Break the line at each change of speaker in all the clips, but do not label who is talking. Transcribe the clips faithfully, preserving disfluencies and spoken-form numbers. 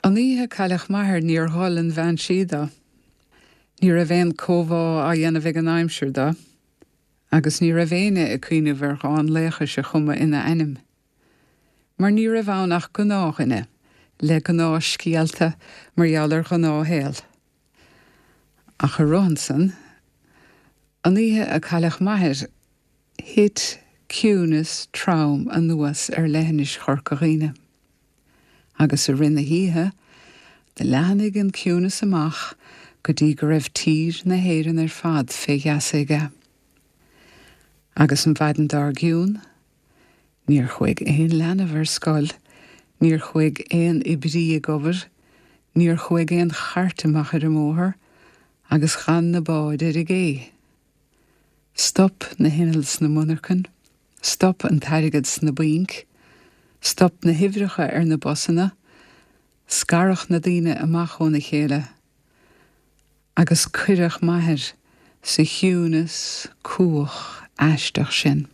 An oíche a cailleadh m'athair níor ghol an bhean sí dó. Ní raibh aon chomhbhá á dhéanamh ag an aimsir dó, agus ní raibh éinne ag cuimhneamh ar dhán laochais a chumadh ina ainm. Mar ní raibh ann ach gnáthdhuine le gnáthscéalta mar gheall ar ghnáthshaol. Ach a rohansan, an oíche a cailleadh m'athair thit ciúnas trom anuas ar leithinis Chorca Dhuibhne. Agus i rith na hoíche, do leathnaigh an ciúnas amach go dtí go raibh tír na hÉireann ar fad fé gheasa aige. Agus an mhaidin dár gcionn, níor chuaigh aon leanbh ar scoil, níor chuaigh aon oibrí ag obair, níor chuaigh aon chairt amach ar an mbóthar, agus chan na báid ar an gcé. Stop na hinnill sna monarchana, stop an t-airgead sna bainc, stop na huimhreacha ar na busanna, scaradh na daoine amach óna chéile, agus cuireadh m'athair sa chiúnas cumhach aisteach sin.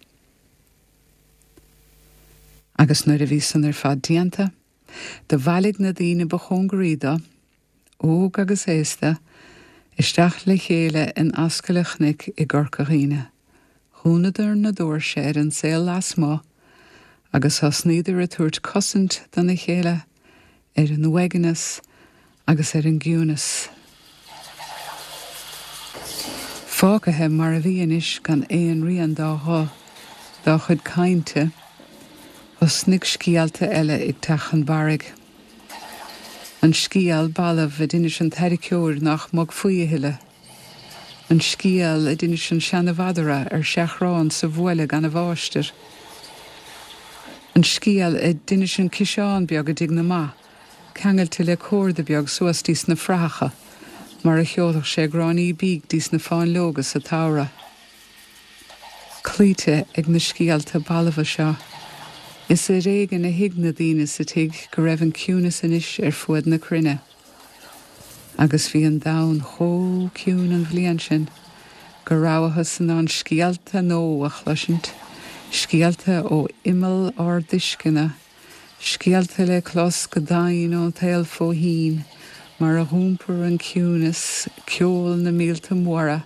Agus nuair a bhí san ar fad déanta, do bhailigh na daoine ba chóngaraí dó, óg agus aosta, isteach le chéile in ascaill an chnoic i gCorca Dhuibhne. Dhúnadar na doirse ar an saol lasmuigh, agus thosnaíodar ag tabhairt cosaint dona chéile ar an uaigneas agus ar an gciúnas. Fágtha mar a bhí anois gan aon rian dá ghuth, dá chuid cainte, thosnaigh scéalta eile ag teacht chun barraigh. An scéal balbh a d'inis an tarraiceoir nach mbogfaí a thuilleadh. An scéal a d'inis an seanmhadra ar seachrán sa bhaile gan a mháistir. An scéal a d'inis an ciseán beag i dtigh na mba, ceangailte le córda beag suas dtí sna frathacha, mar a sheolfadh sé gráinní bídh dtí sna fáinleoga sa tsamhradh. Cloíte ag na scéalta balbha seo, is ar éigean a thuig na daoine sa tigh go raibh an ciúnas anois ar fuaid na cruinne. Agus bhí an domhan chomh ciúin an bhliain sin, go rabhthas in ann scéalta nua a chloisint, scéalta ó imeall ár dtuisceana, scéalta le clos go domhain ón tsaol fó thoinn, mar a d'iompair an ciúnas ceol na mílte móra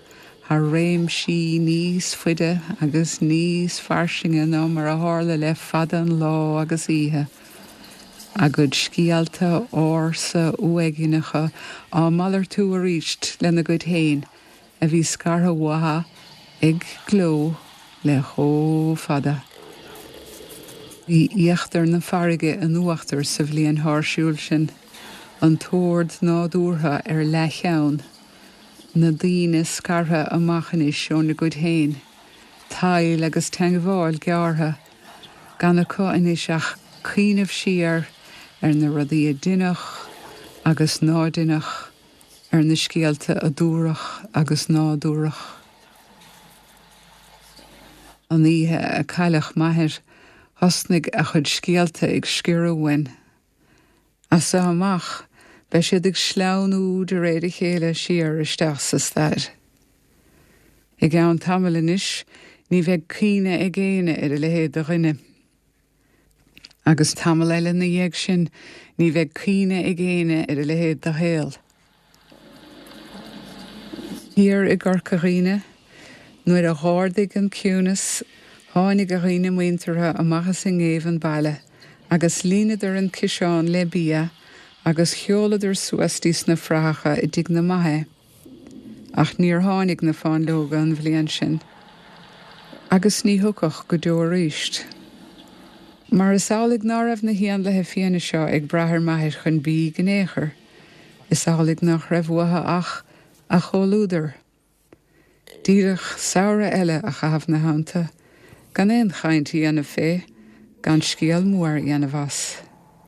thar réimsí níos faide agus níos fairsinge ná mar a tharla le fada an lá agus oíche. A gcuid scéalta ársa uaigneacha á malartú arís lena gcuid féin a bhí scartha uathu ag gleo le chomh fada. Bhí íochtar na farraige in uachtar sa bhliain sháirsiúil sin, an t-ord nádúrtha ar leathcheann, na daoine scartha amach anois óna gcuid féin, tadhall agus teagmháil gearrtha, gan acu anois ach cuimhneamh siar ar na rudaí a deineadh agus ná deineadh, ar na scéalta a dúradh agus ná dúradh. An oíche a cailleadh m'athair, thosnaigh a chuid scéalta ag sciorradh uainn. As seo amach, beidh siad ag sleamhnú de réir a chéile siar isteach sa stair. I gceann tamaill anois, ní bheidh cuimhne ag éinne ar a leithéid de dhuine. Agus tamall eile ina dhiaidh sin, ní bheidh cuimhne ag éinne ar a leithéid de shaol. Thiar i gCorca Dhuibhne, nuair a dh'ardaigh an ciúnas, tháinig a dhaoine muinteartha amach as an ngéibheann baile, agus líonadar an ciseán le bia agus sheoladar suas dtí sna frathacha i dtigh na mba é. Ach níor tháinig na fáinleoga an bhliain sin. Agus ní thiocfadh go deo arís. Mar is amhlaidh ná raibh na héanlaithe fiáine seo ag brath ar m'athair chun bídh in aon chor, is amhlaidh nach raibh uathu ach a chomhluadar. Díreach samhradh eile a chaitheamh ina theannta, gan aon chaint a dhéanamh fé, gan scéal mór a dhéanamh as.